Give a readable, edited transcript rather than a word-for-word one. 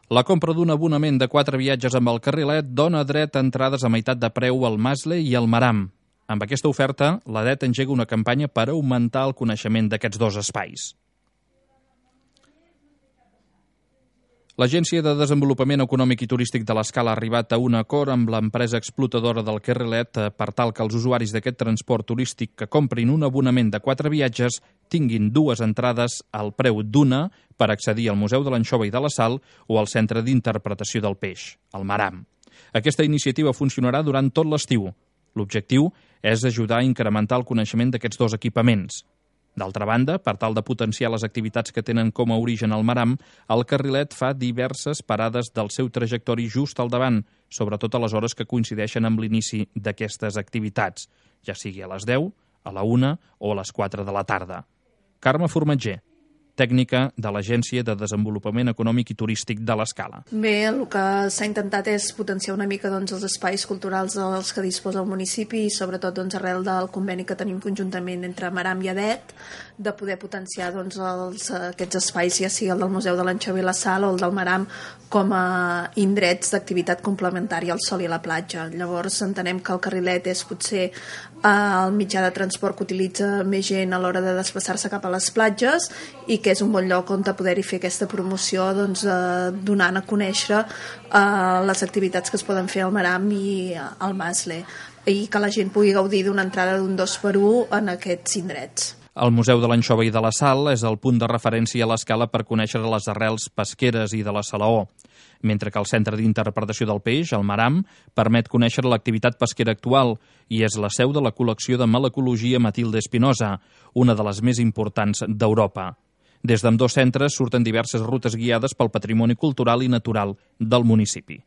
La compra d'un abonament de 4 viatges amb el Carrilet dona dret a entrades a meitat de preu al Masle i al Maram. Amb aquesta oferta, l'ADET engega una campanya per augmentar el coneixement d'aquests dos espais. L'Agència de Desenvolupament Econòmic i Turístic de l'Escala ha arribat a un acord amb l'empresa explotadora del Carrilet per tal que els usuaris d'aquest transport turístic que comprin un abonament de 4 viatges tinguin 2 entrades al preu d'una per accedir al Museu de l'Anxova i de la Sal o al Centre d'Interpretació del Peix, el Maram. Aquesta iniciativa funcionarà durant tot l'estiu. L'objectiu és ajudar a incrementar el coneixement d'aquests dos equipaments. D'altra banda, per tal de potenciar les activitats que tenen com a origen el Maram, el Carrilet fa diverses parades del seu trajectori just al davant, sobretot a les hores que coincideixen amb l'inici d'aquestes activitats, ja sigui a les 10, a la 1 o a les 4 de la tarda. Carme Formatger, tècnica de l'Agència de Desenvolupament Econòmic i Turístic de l'Escala. Bé, el que s'ha intentat és potenciar una mica els espais culturals dels que disposa el municipi i sobretot arrel del conveni que tenim conjuntament entre Maram i ADET, de poder potenciar aquests espais, ja sigui el del Museu de l'Anxova i la Sal o el del Maram, com a indrets d'activitat complementària al sol i a la platja. Llavors entenem que el Carrilet és potser el mitjà de transport que utilitza més gent a l'hora de desplaçar-se cap a les platges i que és un bon lloc on poder-hi fer aquesta promoció donant a conèixer les activitats que es poden fer al Maram i al Masle i que la gent pugui gaudir d'una entrada d'un 2x1 en aquests indrets. El Museu de l'Anxova i de la Sal és el punt de referència a l'Escala per conèixer les arrels pesqueres i de la salaó, mentre que el Centre d'Interpretació del Peix, el Maram, permet conèixer l'activitat pesquera actual i és la seu de la col·lecció de malacologia Matilde Espinosa, una de les més importants d'Europa. Des d'ambdós centres surten diverses rutes guiades pel patrimoni cultural i natural del municipi.